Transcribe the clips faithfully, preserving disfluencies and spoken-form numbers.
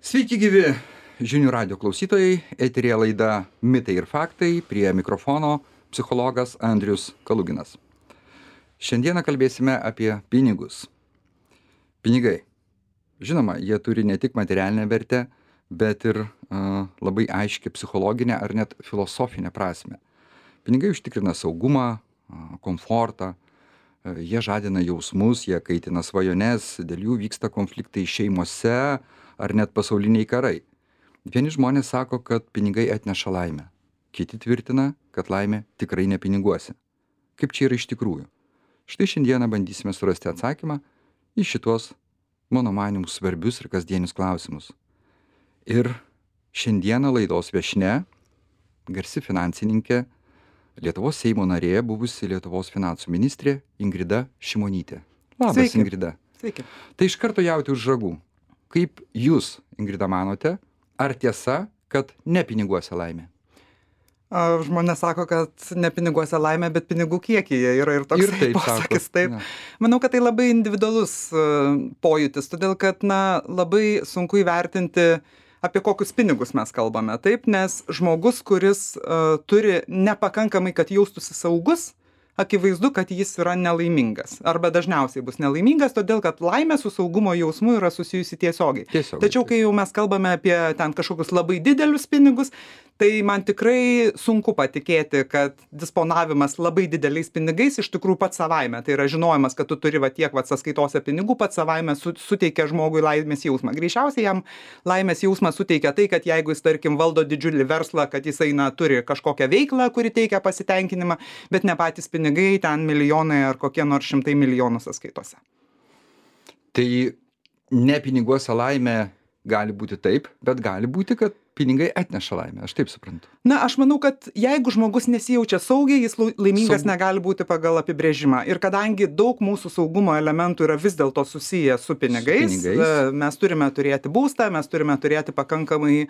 Sveiki gyvi žinių radio klausytojai, eterėje laida Mitai ir faktai, prie mikrofono psichologas Andrius Kaluginas. Šiandieną kalbėsime apie pinigus. Pinigai. Žinoma, jie turi ne tik materialinę vertę, bet ir uh, labai aiškią psichologinę ar net filosofinę prasme. Pinigai užtikrina saugumą, uh, komfortą, uh, jie žadina jausmus, jie kaitina svajones, dėl jų vyksta konfliktai šeimose ar net pasauliniai karai. Vieni žmonės sako, kad pinigai atneša laimę. Kiti tvirtina, kad laimė tikrai ne piniguose. Kaip čia yra iš tikrųjų? Štai šiandieną bandysime surasti atsakymą į šitos, mano manimu, svarbius ir kasdienius klausimus. Ir šiandieną laidos viešnia, garsi finansininkė, Lietuvos Seimo narė, buvusi Lietuvos finansų ministrė Ingrida Šimonytė. Labas, Sveiki. Ingrida. Sveiki. Tai iš karto jauti už ragų. Kaip jūs, Ingrida, manote, ar tiesa, kad ne piniguose laimė? A, Žmonės sako, kad ne piniguose laimė, bet pinigų kiekyje yra ir toks Ir taip posakis. sako. Taip. Na. Manau, kad tai labai individualus uh, pojūtis, todėl kad na, labai sunku įvertinti, apie kokius pinigus mes kalbame. Taip, nes žmogus, kuris uh, turi nepakankamai, kad jaustųsi saugus, akivaizdu, kad jis yra nelaimingas. Arba dažniausiai bus nelaimingas, todėl kad laimė su saugumo jausmu yra susijusi tiesiogiai. Tiesiogiai. Tačiau, kai jau mes kalbame apie ten kažkokius labai didelius pinigus, tai man tikrai sunku patikėti, kad disponavimas labai dideliais pinigais iš tikrųjų pats savaime. Tai yra žinojimas, kad tu turi va tiek va sąskaitose pinigų, pats savaime su, suteikia žmogui laimės jausmą. Greičiausiai jam laimės jausmą suteikia tai, kad jeigu jis, tarkim, valdo didžiulį verslą, kad jisai na, turi kažkokią veiklą, kuri teikia pasitenkinimą, bet ne patys pinigai, ten milijonai ar kokie nors šimtai milijonų sąskaitose. Tai ne piniguose laimė gali būti taip, bet gali būti, kad pinigai atneša laimę. Aš taip suprantu. Na, aš manau, kad jeigu žmogus nesijaučia saugiai, jis lau- laimingas Saug- negali būti pagal apibrėžimą. Ir kadangi daug mūsų saugumo elementų yra vis dėlto susiję su pinigais, Su pinigais. e, mes turime turėti būstą, mes turime turėti pakankamai e,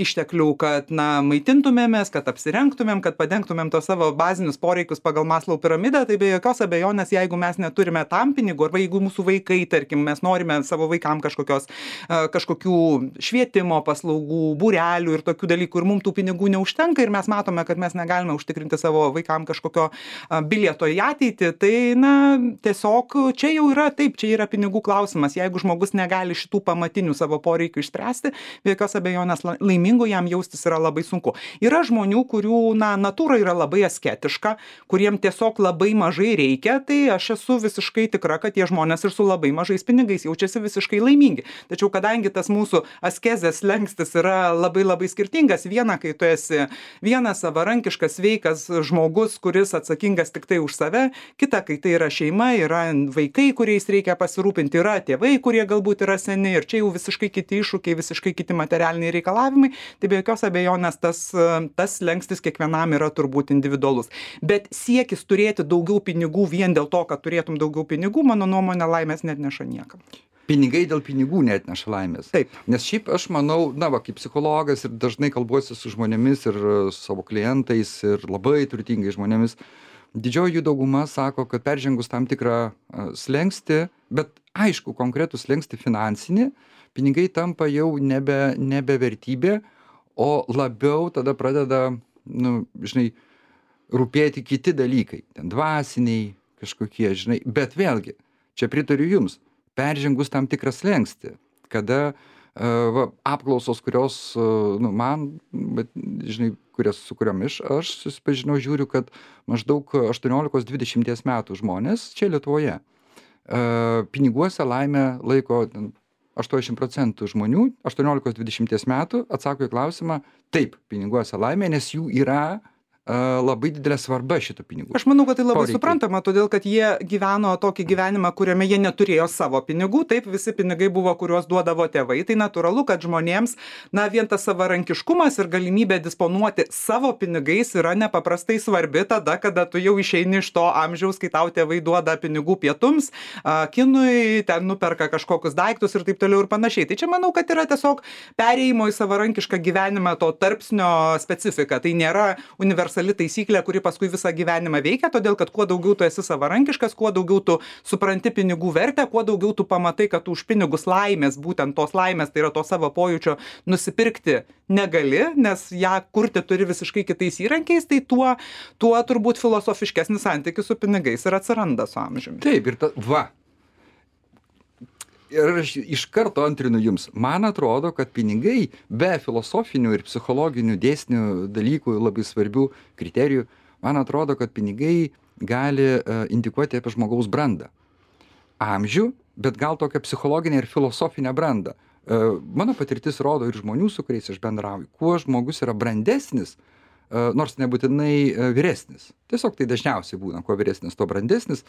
išteklių, kad na, maitintumėmės, kad apsirengtumėm, kad padengtumėm tos savo bazinius poreikius pagal Maslow piramidę, tai be jokios abejonės, jeigu mes neturime tam pinigų, arba jeigu mūsų vaikai, tarkim, mes norime savo vaikam kažkokios, e, kažkokių švietimo paslaugų, būrelių ir tokių dalykų, ir mums tų pinigų neužtenka, ir mes matome, kad mes negalime užtikrinti savo vaikam kažkokio a, bilieto į ateitį, tai na, tiesiog čia jau yra taip, čia yra pinigų klausimas. Jeigu žmogus negali šitų pamatinių savo poreikių išspręsti, be jokios abejonės la- laimingu jam jaustis yra labai sunku. Yra žmonių, kurių na, natūra yra labai asketiška, kuriem tiesiog labai mažai reikia, tai aš esu visiškai tikra, kad tie žmonės ir su labai mažais pinigais jaučiasi visiškai laimingi. Tačiau kadangi tas mūsų askezės slenkstis yra labai labai skirtingas, viena, kai tu esi vienas savarankiškas, sveikas žmogus, kuris atsakingas tik tai už save, kita, kai tai yra šeima, yra vaikai, kuriais reikia pasirūpinti, yra tėvai, kurie galbūt yra seni, ir čia jau visiškai kiti iššūkiai, visiškai kiti materialiniai reikalavimai, tai be jokios abejonės tas, tas slengstis kiekvienam yra turbūt individualus. Bet siekis turėti daugiau pinigų vien dėl to, kad turėtum daugiau pinigų, mano nuomonė, laimės net neša niekam. Pinigai dėl pinigų neatneša laimės. Taip. Nes šiaip aš manau, na va, kaip psichologas ir dažnai kalbuosi su žmonėmis ir e, su savo klientais ir labai turtingais žmonėmis, didžioji jų dauguma sako, kad peržengus tam tikrą e, slengstį, bet aišku, konkretų slengstį finansinį, pinigai tampa jau nebe, nebe vertybė, o labiau tada pradeda, nu, žinai, rūpėti kiti dalykai, ten dvasiniai kažkokie, žinai, bet vėlgi, čia pritariu jums, peržengus tam tikrą slengstį, kada uh, va, apklausos, kurios, uh, nu, man, bet, žinai, kurias, su kuriomis aš susipažinau, žiūriu, kad maždaug aštuoniolikos dvidešimties metų žmonės čia Lietuvoje uh, piniguose laimę laiko ten, aštuoniasdešimt procentų žmonių aštuoniolikos dvidešimties metų atsako į klausimą, taip, piniguose laimė, nes jų yra labai didelė svarba šitų pinigų. Aš manau, kad tai labai Poreikiai. suprantama, todėl kad jie gyveno tokį gyvenimą, kuriame jie neturėjo savo pinigų, taip visi pinigai buvo, kuriuos duodavo tėvai. Tai natūralu, kad žmonėms, na, vien tas savarankiškumas ir galimybė disponuoti savo pinigais yra nepaprastai svarbi tada, kada tu jau išeini iš to amžiaus, kai tau tėvai duoda pinigų pietums, a, kinui, ten nuperka kažkokius daiktus ir taip toliau ir panašiai. Tai čia manau, kad yra tiesiog perėjimo į savarankišką gyvenimą to tarpsnio specifika. Tai nėra universalus universali taisyklė, kuri paskui visą gyvenimą veikia, todėl kad kuo daugiau tu esi savarankiškas, kuo daugiau tu supranti pinigų vertę, kuo daugiau tu pamatai, kad tu už pinigus laimės, būtent tos laimės, tai yra to savo pojūčio nusipirkti negali, nes ją kurti turi visiškai kitais įrankiais, tai tuo, tuo turbūt filosofiškesnis santykis su pinigais ir atsiranda su amžiumi. Taip, ir ta, va. Ir aš iš karto antrinu jums. Man atrodo, kad pinigai be filosofinių ir psichologinių dėsnių dalykų, labai svarbių kriterijų, man atrodo, kad pinigai gali uh, indikuoti apie žmogaus brandą. Amžių, bet gal tokią psichologinę ir filosofinę brandą. Uh, mano patirtis rodo ir žmonių, su kuriais aš bendrauju, kuo žmogus yra brandesnis, uh, nors nebūtinai uh, vyresnis. Tiesiog tai dažniausiai būna, kuo vyresnis, tuo brandesnis,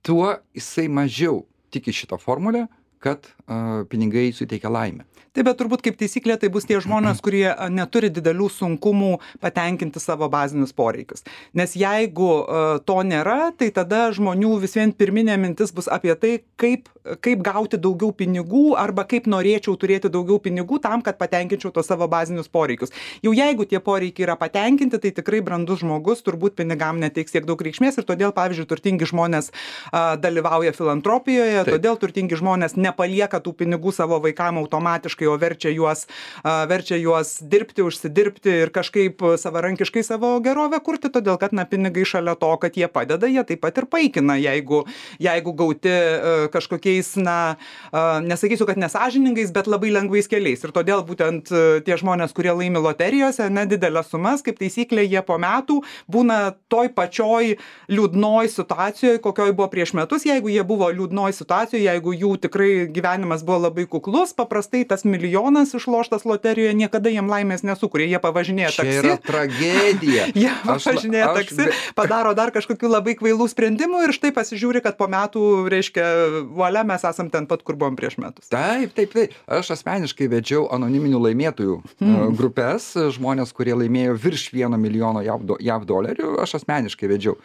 tuo jisai mažiau tiki šitą formulę, kad uh, pinigai suteikia laimę. Taip, bet turbūt kaip taisyklė tai bus tie žmonės, kurie neturi didelių sunkumų patenkinti savo bazinius poreikius. Nes jeigu uh, to nėra, tai tada žmonių vis vien pirminė mintis bus apie tai, kaip, kaip gauti daugiau pinigų arba kaip norėčiau turėti daugiau pinigų tam, kad patenkinčiau tos savo bazinius poreikius. Jau jeigu tie poreikiai yra patenkinti, tai tikrai brandus žmogus turbūt pinigam neteiks tiek daug reikšmės ir todėl, pavyzdžiui, turtingi žmonės uh, dalyvauja filantropijoje, Taip. Todėl turtingi žmonės nepalieka tų pinigų savo vaikam automatiškai, o verčia juos, uh, verčia juos dirbti, užsidirbti ir kažkaip savarankiškai savo gerovę kurti, todėl kad, na, pinigai šalia to, kad jie padeda, jie taip pat ir paikina, jeigu, jeigu gauti uh, kažkokiais, na, uh, nesakysiu, kad nesąžiningais, bet labai lengvais keliais. Ir todėl būtent uh, tie žmonės, kurie laimi loterijose, nedidelės sumas, kaip taisyklė, jie po metų būna toj pačioj liūdnoj situacijoje, kokioj buvo prieš metus. Jeigu jie buvo liūdnoj situacijoje, jeigu jų tikrai gyvenimas buvo labai kuklus, paprastai tas milijonas išloštas loterijoje niekada jiem laimės nesukuria. Jie pavažinėja taksi. Čia yra tragedija. Jie pavažinėja aš, taksi, aš... padaro dar kažkokių labai kvailų sprendimų ir štai pasižiūri, kad po metų, reiškia, valia, mes esam ten pat, kur buvom prieš metus. Taip, taip, taip. Aš asmeniškai vedžiau anoniminių laimėtojų hmm. grupės, žmonės, kurie laimėjo virš vieno milijono jav dolerių, aš asmeniškai vedžiau.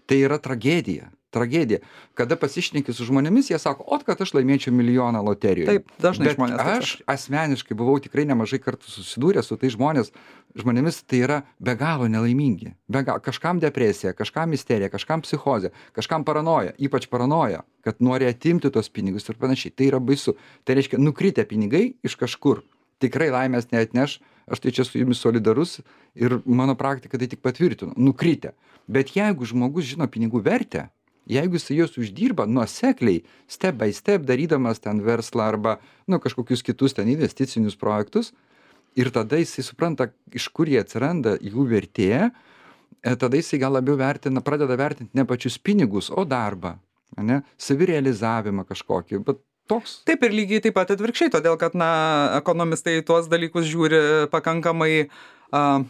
Tai yra tragedija. Tragedija. Kada pasišneki su žmonėmis, jie sako, o kad aš laimėčiau milijoną loterijoje. Taip, dažnai Bet žmonės. Aš asmeniškai buvau tikrai nemažai kartų susidūręs su tai žmonės, žmonėmis tai yra be galo nelaimingi. Be galo, kažkam depresija, kažkam isterija, kažkam psichozė, kažkam paranoja, ypač paranoja, kad nori atimti tos pinigus ir panašiai. Tai yra baisu. Tai reiškia, nukritę pinigai iš kažkur tikrai laimės neatneš. Aš tai čia su jumis solidarus ir mano praktika tai tik patvirtino. Nukritę. Bet jeigu žmogus žino pinigų vertę, jeigu jis juos uždirba nuosekliai, step by step, darydamas ten verslą arba nu, kažkokius kitus ten investicinius projektus, ir tada jisai supranta, iš kur jie atsiranda, jų vertė, tada jisai gal labiau vertina, pradeda vertinti ne pačius pinigus, o darbą, ne, savirealizavimą kažkokį. Bet toks. Taip ir lygiai taip pat atvirkščiai, todėl kad, na, ekonomistai tuos dalykus žiūri pakankamai uh,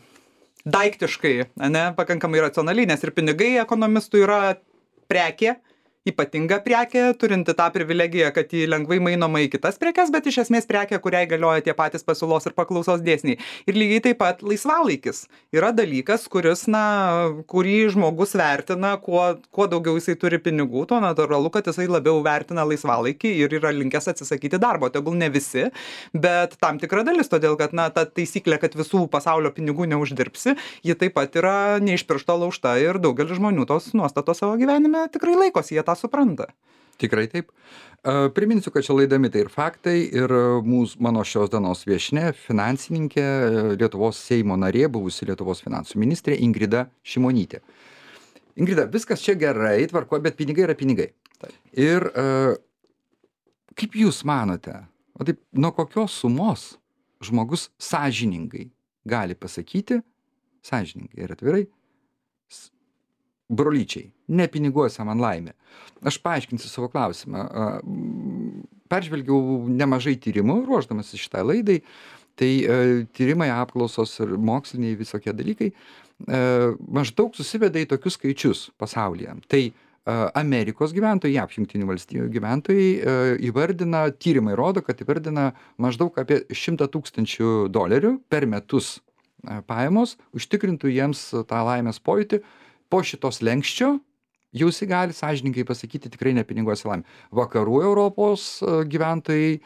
daiktiškai, ne, pakankamai racionaliai, nes ir pinigai ekonomistų yra prekė, ypatinga prekė, turinti tą privilegiją, kad jį lengvai mainoma į kitas prekes, bet iš esmės prekė, kuriai galioja tie patys pasiūlos ir paklausos dėsniai. Ir lygiai taip pat laisvalaikis yra dalykas, kuris, na, kurį žmogus vertina, kuo, kuo daugiau jisai turi pinigų, to natūralu, kad jisai labiau vertina laisvalaikį ir yra linkęs atsisakyti darbo. Tegul ne visi, bet tam tikra dalis, todėl kad, na, ta taisyklė, kad visų pasaulio pinigų neuždirbsi, ji taip pat yra ne iš piršto laužta ir daugelis žmonių tos nuostatos savo gyvenime tikrai laikosi, jie tą supranta. Tikrai taip. Uh, priminsiu, kad čia laida Mitai ir faktai ir mūsų, mano šios dienos viešnia, finansininkė, Lietuvos Seimo narė, buvusi Lietuvos finansų ministrė Ingrida Šimonytė. Ingrida, viskas čia gerai, tvarko, bet pinigai yra pinigai. Taip. Ir uh, kaip jūs manote, o taip, nuo kokios sumos žmogus sąžiningai gali pasakyti, sąžiningai ir atvirai, brolyčiai, ne piniguose man laimė. Aš paaiškinsiu savo klausimą. Peržvelgiau nemažai tyrimų, ruošdamasi šitai laidai. Tai tyrimai, apklausos ir moksliniai visokie dalykai maždaug susiveda į tokius skaičius pasaulyje. Tai Amerikos gyventojai, jav Jungtinių valstijų gyventojai įvardina, tyrimai rodo, kad įvardina maždaug apie šimtą tūkstančių dolerių per metus pajamos, užtikrintų jiems tą laimės pojūtį. Po šitos lenkščio jūs gali sąžininkai pasakyti tikrai ne piniguose laimė. Vakarų Europos gyventojai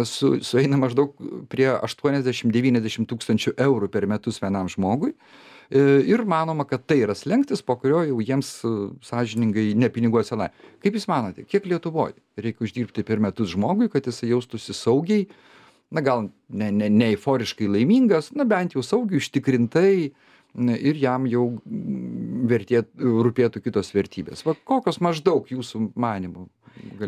su, sueina maždaug prie aštuoniasdešimt devyniasdešimt tūkstančių eurų per metus vienam žmogui. ir manoma, kad tai yra slenkstis, po kurio jau jiems sąžiningai nepiniguos senai. Kaip Jūs manote, kiek Lietuvoje reikia uždirbti per metus žmogui, kad jis jaustųsi saugiai, na gal ne, ne, ne euforiškai laimingas, na bent jau saugiai, užtikrintai ir jam jau vertėt, rūpėtų kitos vertybės. Va, kokios maždaug Jūsų manymų?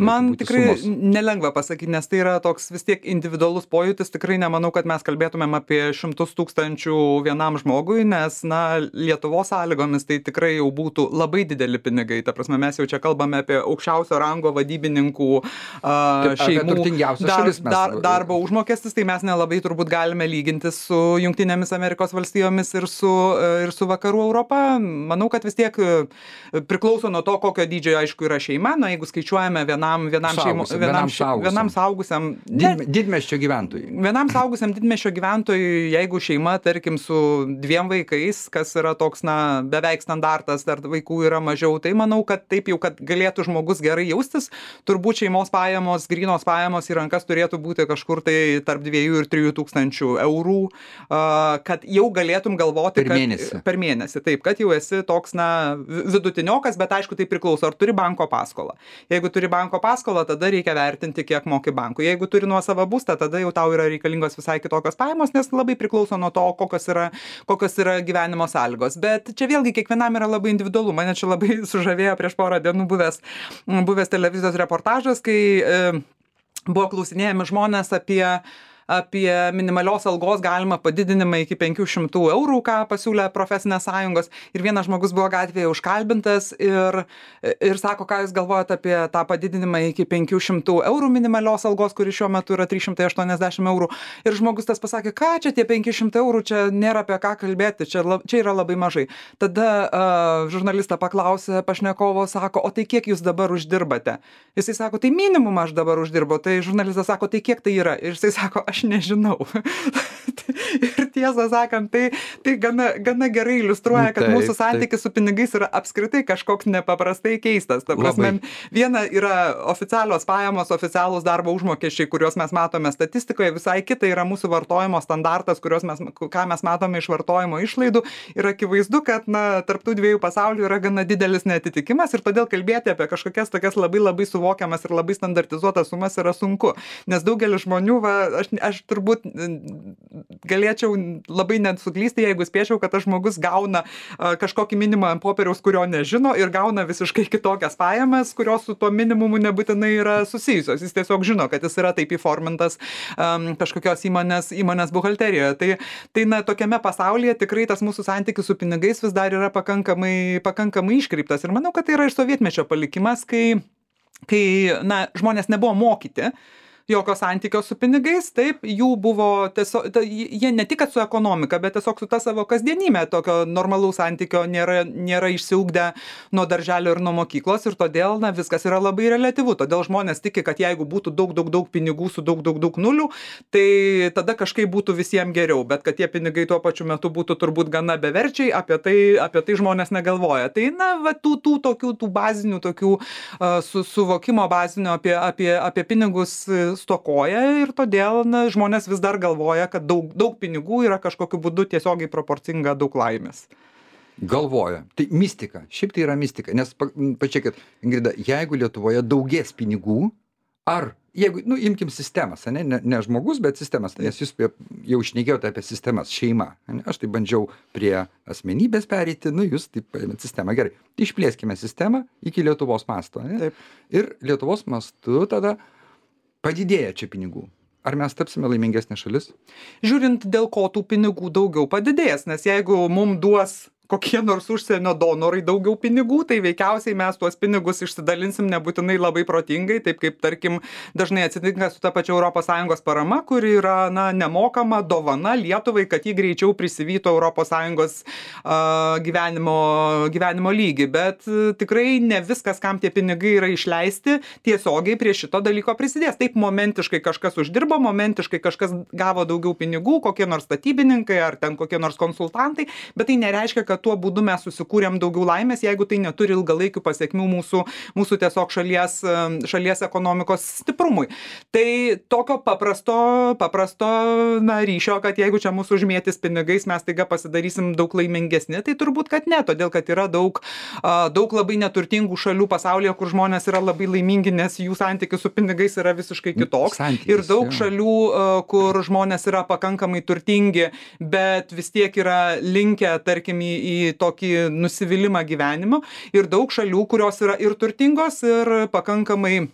Man tikrai sumos. Nelengva pasakyti, nes tai yra toks vis tiek individualus pojūtis. Tikrai nemanau, kad mes kalbėtumėm apie šimtus tūkstančių vienam žmogui, nes, na, Lietuvos sąlygomis tai tikrai jau būtų labai dideli pinigai. Ta prasme, mes jau čia kalbame apie aukščiausio rango vadybininkų uh, šeimų dar, dar, darbo užmokestis, tai mes nelabai turbūt galime lyginti su Jungtinėmis Amerikos valstijomis ir su, ir su Vakarų Europa. Manau, kad vis tiek priklauso nuo to, kokio dydžio, aišku, yra šeima. Na, jeigu skaičiuojame vienam vienam šeimo vienam vienam suaugusiam Did, didmiesčio gyventojui. Vienam suaugusiam didmiesčio gyventojui, jeigu šeima, tarkim, su dviem vaikais, kas yra toks, na, beveik standartas, ar vaikų yra mažiau, tai manau, kad taip jau, kad galėtų žmogus gerai jaustis, turbūt šeimos pajamos, grynos pajamos į rankas turėtų būti kažkur tai tarp dviejų ir trijų tūkstančių eurų, kad jau galėtum galvoti, per mėnesį. Kad, per mėnesį, taip, kad jau esi toks, na, vidutiniokas, bet aišku, tai priklauso, ar turi banko paskolą. Jeigu turi banko paskolą, tada reikia vertinti, kiek moki bankui. Jeigu turi nuosavą būstą, tada jau tau yra reikalingos visai kitokios pajamos, nes labai priklauso nuo to, kokios yra, kokios yra gyvenimo sąlygos. Bet čia vėlgi kiekvienam yra labai individualu. Mane čia labai sužavėjo prieš porą dienų buvęs, buvęs televizijos reportažas, kai e, buvo klausinėjami žmonės apie apie minimalios algos galimą padidinimą iki penkių šimtų eurų, ką pasiūlė profesinės sąjungos. Ir vienas žmogus buvo gatvėje užkalbintas ir, ir sako, ką Jūs galvojate apie tą padidinimą iki penkių šimtų eurų minimalios algos, kuri šiuo metu yra trys šimtai aštuoniasdešimt eurų. Ir žmogus tas pasakė, ką čia tie penki šimtai eurų, čia nėra apie ką kalbėti, čia, čia yra labai mažai. Tada uh, žurnalistą paklausė pašnekovo, sako, o tai kiek Jūs dabar uždirbate? Jisai sako, tai minimumą aš dabar uždirbu. Tai žurnalistas sako, tai kiek tai yra? Ir jisai sako, aš nežinau. Ir tiesą sakant, tai, tai gana, gana gerai iliustruoja, kad taip, mūsų santykis taip. Su pinigais yra apskritai kažkoks nepaprastai keistas. Ta prasme, viena yra oficialios pajamos, oficialūs darbo užmokesčiai, kuriuos mes matome statistikoje, visai kita yra mūsų vartojimo standartas, kuriuos mes, ką mes matome iš vartojimo išlaidų. Ir akivaizdu, kad, na, tarp tų dviejų pasaulių yra gana didelis neatitikimas ir todėl kalbėti apie kažkokias tokias labai labai suvokiamas ir labai standartizuotas sumas yra sunku. Nes daugelis žmonių, va, aš, aš turbūt galėčiau labai net suklysti, jeigu spėčiau, kad tas žmogus gauna uh, kažkokį minimumą ant popieriaus, kurio nežino ir gauna visiškai kitokias pajamas, kurios su tuo minimumu nebūtinai yra susijusios. Jis tiesiog žino, kad jis yra taip įformintas um, kažkokios įmonės, įmonės buhalterijoje. Tai, tai na, tokiame pasaulyje tikrai tas mūsų santykis su pinigais vis dar yra pakankamai, pakankamai iškreiptas. Ir manau, kad tai yra iš sovietmečio palikimas, kai, kai na, žmonės nebuvo mokyti jokio santykio su pinigais, taip, jų buvo tiesiog, ta, jie ne tik su ekonomika, bet tiesiog su ta savo kasdienybė, tokio normalaus santykio nėra, nėra išsiugdę nuo darželio ir nuo mokyklos ir todėl, na, viskas yra labai reliatyvu. Todėl žmonės tiki, kad jeigu būtų daug, daug, daug pinigų su daug, daug, daug nulių, tai tada kažkaip būtų visiems geriau, bet kad tie pinigai tuo pačiu metu būtų turbūt gana beverčiai, apie tai, apie tai žmonės negalvoja. Tai, na, va, tų, tų tokių, tų bazinių, tokių uh, su, suvokimo bazinio apie, apie, apie pinigus stokoja ir todėl, na, žmonės vis dar galvoja, kad daug, daug pinigų yra kažkokiu būdu tiesiogiai proporcinga daug laimės. Galvoja. Tai mistika. Šiaip tai yra mistika. Nes, pačiakit, Ingrida, jeigu Lietuvoje daugės pinigų, ar, jeigu, nu, imkim sistemas, ne, ne, ne žmogus, bet sistemas, nes jūs jau šnekėjote apie sistemas, šeima. Ne? Aš tai bandžiau prie asmenybės pereiti, nu, jūs taip paėmėt sistemą. Gerai, išplėskime sistemą iki Lietuvos masto. Ne? Taip. Ir Lietuvos mastu tada padidėja čia pinigų. Ar mes tapsime laimingesnė šalis? Žiūrint, dėl ko tų pinigų daugiau padidės, nes jeigu mums duos kokie nors užsienio donorai daugiau pinigų, tai veikiausiai mes tuos pinigus išsidalinsim nebūtinai labai protingai, taip kaip, tarkim, dažnai atsitinka su ta pačia Europos Sąjungos parama, kuri yra, na, nemokama dovana Lietuvai, kad jį greičiau prisivytų Europos Sąjungos uh, gyvenimo, gyvenimo lygį. Bet uh, tikrai ne viskas, kam tie pinigai yra išleisti, tiesiogiai prie šito dalyko prisidės. Taip momentiškai kažkas uždirbo, momentiškai kažkas gavo daugiau pinigų, kokie nors statybininkai ar ten kokie nors konsultantai, bet tai nereiškia, kad kad tuo būdu mes susikūrėm daugiau laimės, jeigu tai neturi ilgalaikių pasiekmių mūsų, mūsų tiesiog šalies, šalies ekonomikos stiprumui. Tai tokio paprasto, paprasto na, ryšio, kad jeigu čia mūsų užmėtis pinigais, mes taiga pasidarysim daug laimingesni, tai turbūt, kad ne, todėl, kad yra daug, daug labai neturtingų šalių pasaulyje, kur žmonės yra labai laimingi, nes jų santykis su pinigais yra visiškai kitoks. Santykis, ir daug jau. Šalių, kur žmonės yra pakankamai turtingi, bet vis tiek yra linkę, tarkim, į, į tokį nusivylimą gyvenimu. Ir daug šalių, kurios yra ir turtingos, ir pakankamai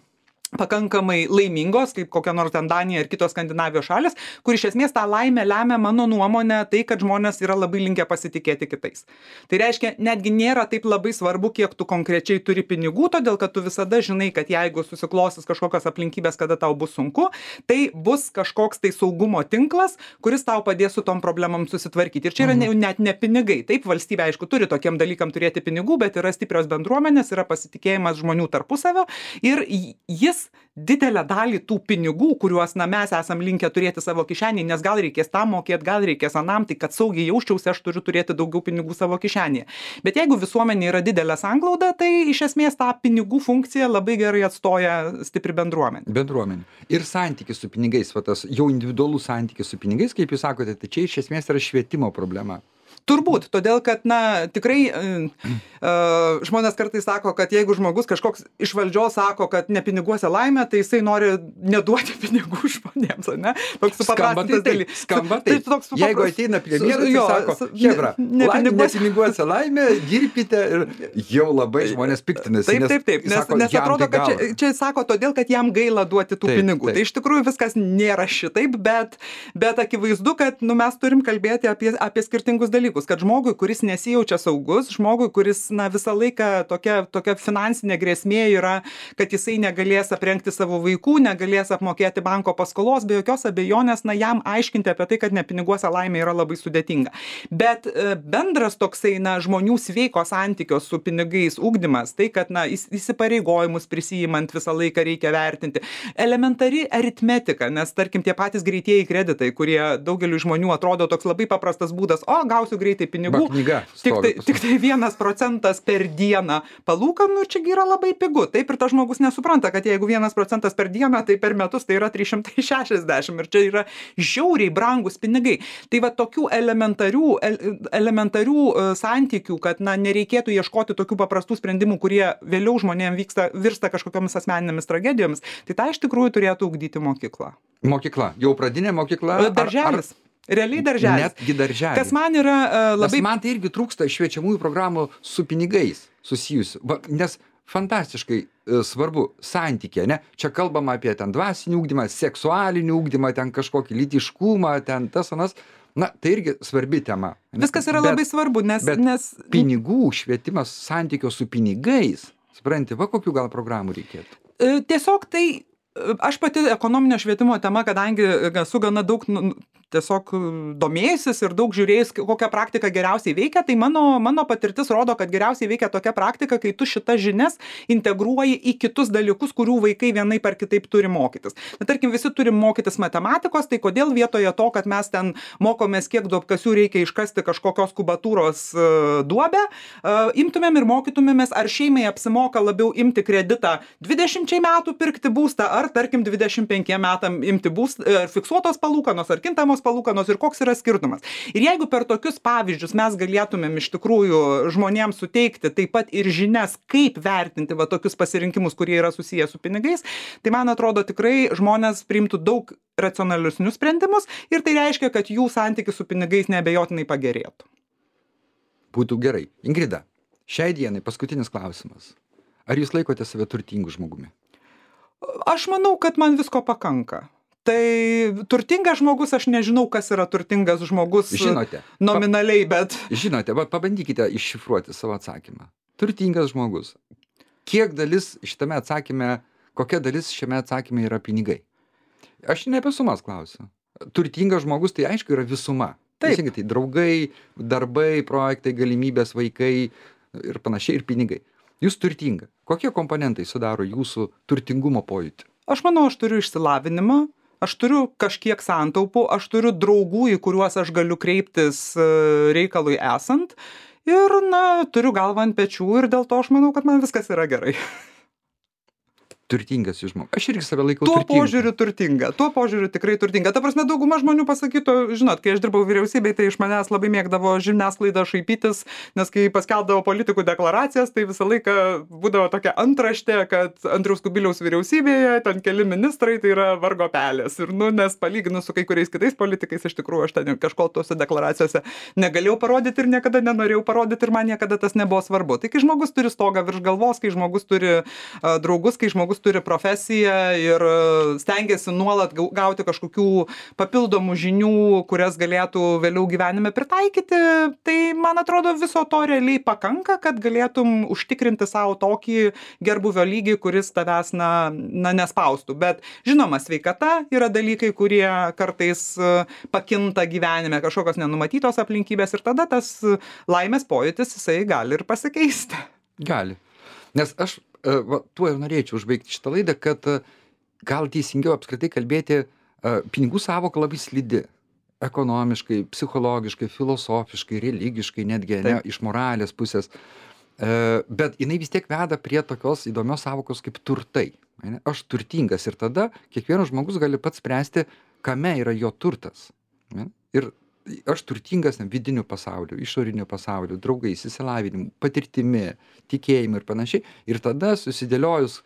pakankamai laimingos, kaip kokia nors ten Danija ir kitos Skandinavijos šalis, kur iš esmės tą laimę lemia, mano nuomonė, tai, kad žmonės yra labai linkę pasitikėti kitais. Tai reiškia, netgi nėra taip labai svarbu, kiek tu konkrečiai turi pinigų, todėl, kad tu visada žinai, kad jeigu susiklostys kažkokios aplinkybės, kada tau bus sunku, tai bus kažkoks tai saugumo tinklas, kuris tau padės su tom problemom susitvarkyti. Ir čia yra ne, net ne pinigai. Taip, valstybė, aišku, turi tokiem dalykam turėti pinigų, bet yra stiprios bendruomenės, yra pasitikėjimas žmonių tarpusavio ir jis didelę dalį tų pinigų, kuriuos na, mes esam linkę turėti savo kišenėje, nes gal reikės tam mokėti, gal reikės anam, tai kad saugiai jausčiausi, aš turiu turėti daugiau pinigų savo kišenėje. Bet jeigu visuomenė yra didelė sanglauda, tai iš esmės tą pinigų funkciją labai gerai atstoja stipri bendruomenė. Bendruomenė. Ir santykis su pinigais, va tas jau individualus santykis su pinigais, kaip jūs sakote, tai čia iš esmės yra švietimo problema. Turbūt, todėl, kad, na, tikrai uh, uh, žmonės kartais sako, kad jeigu žmogus kažkoks iš valdžios sako, kad ne piniguose laimė, tai jisai nori neduoti pinigų žmonėms, ne? Toks supaprastintas dalykas. Skamba taip. Tai supaprast... Jeigu ateina premjeras, tai sako, hebra, ne, laimė, ne piniguose laimė, dirbkite ir jau labai žmonės piktinasi. Taip, taip, taip, nes, sako, nes atrodo, kad čia, čia sako todėl, kad jam gaila duoti tų taip, pinigų. Taip. Tai iš tikrųjų viskas nėra šitaip, bet, bet akivaizdu, kad nu, mes turim kalbėti apie, apie skirtingus dalykus. Kad žmogui, kuris nesijaučia saugus, žmogui, kuris na, visą laiką tokia, tokia finansinė grėsmė yra, kad jisai negalės aprengti savo vaikų, negalės apmokėti banko paskolos, be jokios abejonės, na, jam aiškinti apie tai, kad ne piniguose laimė yra labai sudėtinga. Bet e, bendras toksai na, žmonių sveiko santykio su pinigais ugdymas, tai, kad na, įsipareigojimus prisijimant visą laiką reikia vertinti. Elementari aritmetika, nes tarkim tie patys greitieji kreditai, kurie daugeliu žmonių atrodo toks labai paprastas būdas, o gausiu greitai pinigų, knyga, tik, tai, tik tai vienas procentas per dieną palūkanų, čia yra labai pigu. Taip ir tas žmogus nesupranta, kad jeigu vienas procentas per dieną, tai per metus tai yra trys šimtai šešiasdešimt ir čia yra žiauriai brangus pinigai. Tai va tokių elementarių, elementarių santykių, kad na, nereikėtų ieškoti tokių paprastų sprendimų, kurie vėliau žmonėms vyksta, virsta kažkokiamis asmeninėmis tragedijomis, tai tą iš tikrųjų turėtų ugdyti mokykla. Mokykla, jau pradinė mokykla? Darželis. Ar, ar... Realiai darželis. Netgi darželis. Kas man yra uh, labai... Nes man tai irgi trūksta šviečiamųjų programų su pinigais susijusių. Va, nes fantastiškai uh, svarbu santykė, ne? Čia kalbama apie ten dvasinį ugdymą, seksualinį ugdymą, ten kažkokį lytiškumą, ten tas anas. Na, tai irgi svarbi tema. Viskas yra bet, labai svarbu, nes... Bet nes... pinigų švietimas santykio su pinigais, supranti, va kokių gal programų reikėtų? Uh, tiesiog tai... Aš pati ekonominio švietimo tema, kadangi esu gana daug nu, tiesiog domėjusis ir daug žiūrėjus, kokią praktiką geriausiai veikia, tai mano, mano patirtis rodo, kad geriausiai veikia tokia praktika, kai tu šitas žinias integruoji į kitus dalykus, kurių vaikai vienaip ar kitaip turi mokytis. Na, tarkim, visi turim mokytis matematikos, tai kodėl vietoje to, kad mes ten mokomės, kiek duobkasių reikia iškasti kažkokios kubatūros uh, duobę, uh, imtumėm ir mokytumėmės, ar šeimai apsimoka labiau imti kreditą dvidešimčiai metų pirkti būstą, ar tarkim dvidešimt penkiem metam imti būstą, ar fiksuotos palūkanos, ar kintamos palūkanos ir koks yra skirtumas. Ir jeigu per tokius pavyzdžius mes galėtumėm iš tikrųjų žmonėms suteikti taip pat ir žinias, kaip vertinti va tokius pasirinkimus, kurie yra susiję su pinigais, tai man atrodo tikrai žmonės priimtų daug racionalesnius sprendimus ir tai reiškia, kad jų santykis su pinigais neabejotinai pagerėtų. Būtų gerai. Ingrida, šiai dienai paskutinis klausimas. Ar jūs laikote save turtingu žmogumi? Aš manau, kad man visko pakanka. Tai turtingas žmogus, aš nežinau, kas yra turtingas žmogus. Žinote. Nominaliai, bet... Žinote, va, pabandykite iššifruoti savo atsakymą. Turtingas žmogus. Kiek dalis šitame atsakyme, kokia dalis šiame atsakyme yra pinigai? Aš ne apie sumas klausiu. Turtingas žmogus, tai aišku, yra visuma. Taip. Teisingai, tai draugai, darbai, projektai, galimybės, vaikai ir panašiai, ir pinigai. Jūs turtinga. Kokie komponentai sudaro jūsų turtingumo pojūtį? Aš manau, aš turiu išsilavinimą, aš turiu kažkiek santaupų, aš turiu draugų, į kuriuos aš galiu kreiptis reikalui esant. ir, na, turiu galvą ant pečių ir dėl to aš manau, kad man viskas yra gerai. Turtingas žmogus. Aš irgi save laikau Tuo turtingu. požiūriu turtinga, tuo požiūriu tikrai turtinga. Ta prasme, dauguma žmonių pasakytų, žinot, kai aš dirbau vyriausybėj, tai iš manęs labai mėgdavo žiniasklaida šaipytis, nes kai paskelbdavo politikų deklaracijas, tai visą laiką būdavo tokia antraštė, kad Andriaus Kubiliaus vyriausybėje ten keli ministrai tai yra vargo pelės. Ir, nu, nes palyginus su kai kuriais kitais politikais, iš tikrųjų, aš ten kažko tose deklaracijose negalėjau parodyti ir niekada nenorėjau parodyti ir man niekada tas nebuvo svarbu. Tai kai žmogus turi stogą virš galvos, kai žmogus turi uh, draugus, kai žmogus turi profesiją ir stengiasi nuolat gauti kažkokių papildomų žinių, kurias galėtų vėliau gyvenime pritaikyti, tai man atrodo viso to realiai pakanka, kad galėtum užtikrinti savo tokį gerbuvio lygį, kuris tavęs na, na nespaustų. Bet žinoma, sveikata yra dalykai, kurie kartais pakinta gyvenime, kažkokios nenumatytos aplinkybės ir tada tas laimės pojūtis jisai gali ir pasikeisti. Gali. Nes aš va, tuo ir norėčiau užbaigti šitą laidą, kad gal teisingiau apskritai kalbėti, pinigų sąvoka labai slidi. Ekonomiškai, psichologiškai, filosofiškai, religiškai, netgi ne, iš moralės pusės. Bet jinai vis tiek veda prie tokios įdomios sąvokos kaip turtai. Aš turtingas ir tada kiekvienas žmogus gali pats spręsti, kame yra jo turtas. Ir aš turtingas vidiniu pasauliu, išoriniu pasauliu, draugais, įsilavinimu, patirtimi, tikėjimu ir panašiai. Ir tada susidėliojus,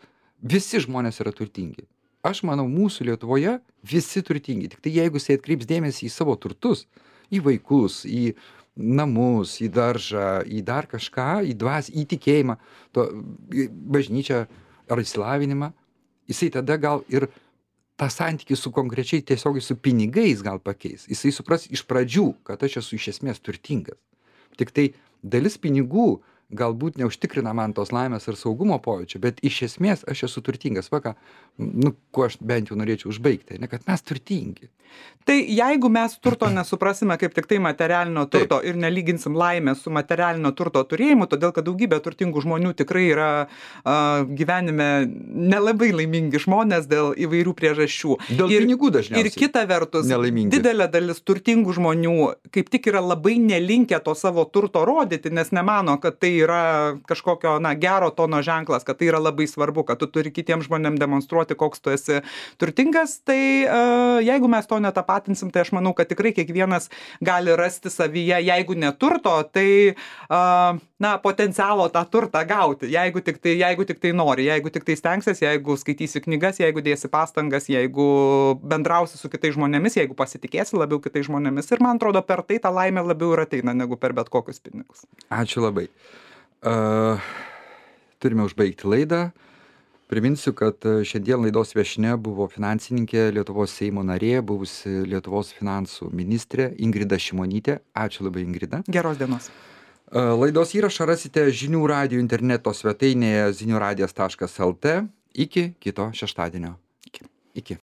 visi žmonės yra turtingi. Aš manau, mūsų Lietuvoje visi turtingi. Tik tai jeigu jisai atkreips dėmesį į savo turtus, į vaikus, į namus, į daržą, į dar kažką, į dvasį, į tikėjimą, to, į bažnyčią ar įsilavinimą, jisai tada gal ir tą santykį su konkrečiai tiesiogiai su pinigais gal pakeis. Jisai supras iš pradžių, kad aš esu iš esmės turtingas. Tik tai dalis pinigų galbūt neužtikrina man tos laimės ir saugumo pojūčio, bet iš esmės aš esu turtingas. Va ką, nu, kuo aš bent jau norėčiau užbaigti, ne, kad mes turtingi. Tai jeigu mes turto nesuprasime kaip tik tai materialinio turto Taip. Ir nelyginsim laimę su materialinio turto turėjimu, todėl kad daugybė turtingų žmonių tikrai yra uh, gyvenime nelabai laimingi žmonės dėl įvairių priežasčių. Dėl ir, pinigų dažniausiai. Ir kita vertus, nelaimingi. Didelė dalis turtingų žmonių kaip tik yra labai nelinkę to savo turto rodyti, nes nemano, kad tai yra kažkokio na, gero tono ženklas, kad tai yra labai svarbu, kad tu turi kitiems žmonėms demonstruoti, koks tu esi turtingas. Tai uh, jeigu mes to netapatinsim, tai aš manau, kad tikrai kiekvienas gali rasti savyje, jeigu neturto, tai uh, na, potencialo tą turtą gauti, jeigu tik tai, jeigu tik tai nori, jeigu tik tai stengsies, jeigu skaitysi knygas, jeigu dėsi pastangas, jeigu bendrausi su kitais žmonėmis, jeigu pasitikėsi labiau kitais žmonėmis. Ir man atrodo, per tai ta laimė labiau ir ateina, negu per bet kokius pinigus. Ačiū labai. Uh, turime užbaigti laidą. Priminsiu, kad šiandien laidos viešnia buvo finansininkė, Lietuvos Seimo narė, buvusi Lietuvos finansų ministrė Ingrida Šimonytė. Ačiū labai, Ingrida. Geros dienos. Laidos įrašą rasite žinių radijo interneto svetainėje zinių radijas taškas el tė. Iki kito šeštadienio. Iki. Iki.